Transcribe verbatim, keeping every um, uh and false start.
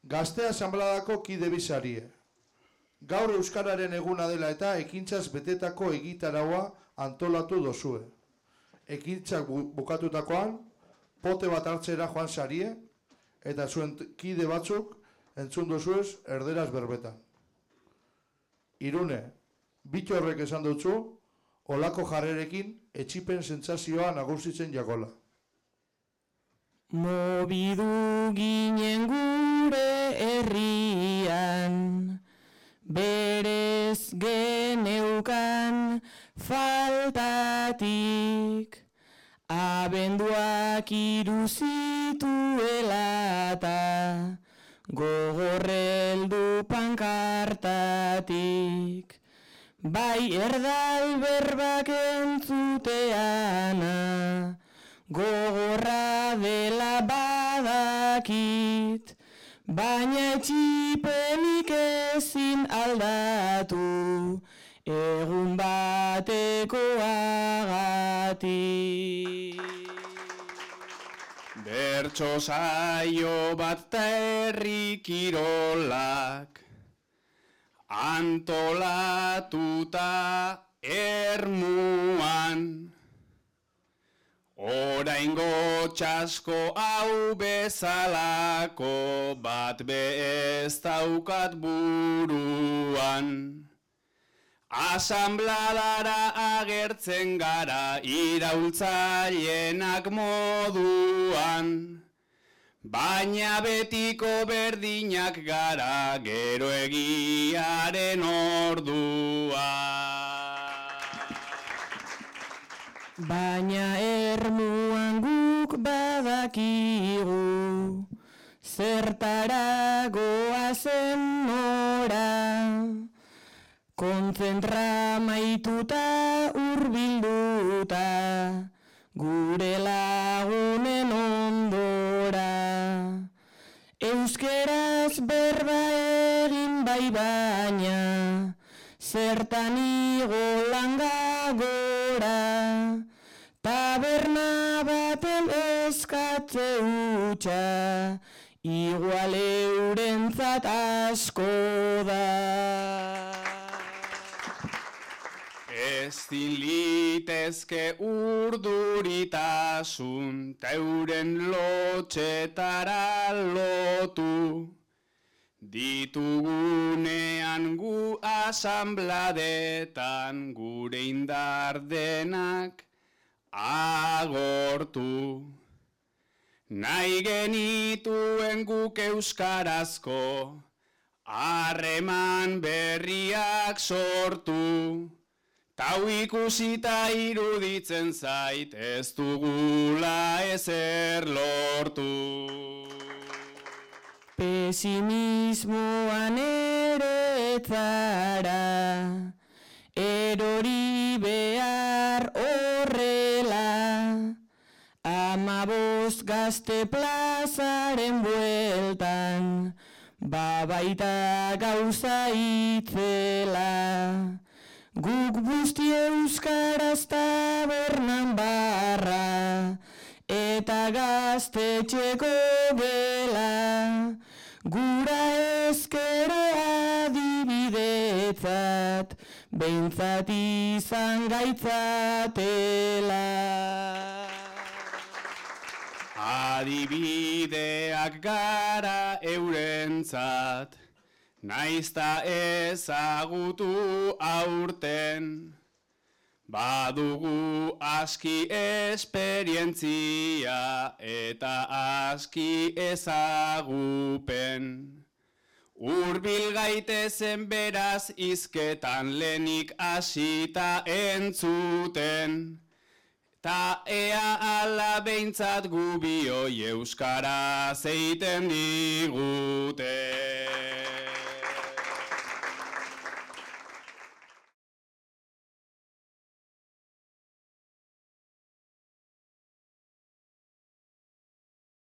Gazte Asanbladako kide bisarie. Gaur Euskararen eguna dela eta ekintzaz betetako egitaraua antolatu dozue. Ekintzak bukatutakoan, pote bat hartzera joan sarie, eta zuen kide batzuk entzun dozuez erderaz berbetan. Irune, bitxo horrek esan dutzu, olako jarrerekin etxipen sentsazioa nagusitzen jakola. Mobidu ginen gure herrian, berez geneukan faltatik, abenduak iruzituela eta gogorreldu pankartatik. Bai erdal berbak entzuteana, gogorra dela badakit, baina etxipenik ezin aldatu, egun batekoagatik. Bertso saio bat ta herri kirolak, antolatuta Ermuan, oraingo txasko hau bezalako bat be ez daukat buruan. Asanbladara agertzen gara iraultzailenak moduan, baina betiko berdinak gara gero egiaren orduan. Baina Ermuan guk badakigu, zertara goazen nora, kontzentra maituta urbilduta, gure lagunen ondora. Euskeraz berba egin bai baina, zertan igo langa gora, taberna baten eskatze hutsa, igual eurentzat asko da. Ezin litezke urduritasun teuren lotxetara lotu, ditugunean gu asanbladetan gure indar denak agortu. Nahi genituen guk euskarazko harreman berriak sortu, tau ikusita iruditzen zait ez dugula ezer lortu. Pesimismoan ere etzara, erori behar horrela, amabost gazte plazaren bueltan, babaita gauza itzela. Guk busti euskaraz tabernan barra, eta gaztetxeko gela, gura ezkero adibidetzat, behintzat izan gaitzatela. Adibideak gara eurentzat, naizta ezagutu aurten, badugu aski esperientzia eta aski ezagupen. Hurbil gaitezen beraz hizketan lehenik hasita entzuten, ta ea ala behintzat gubioi euskaraz eiten diguten.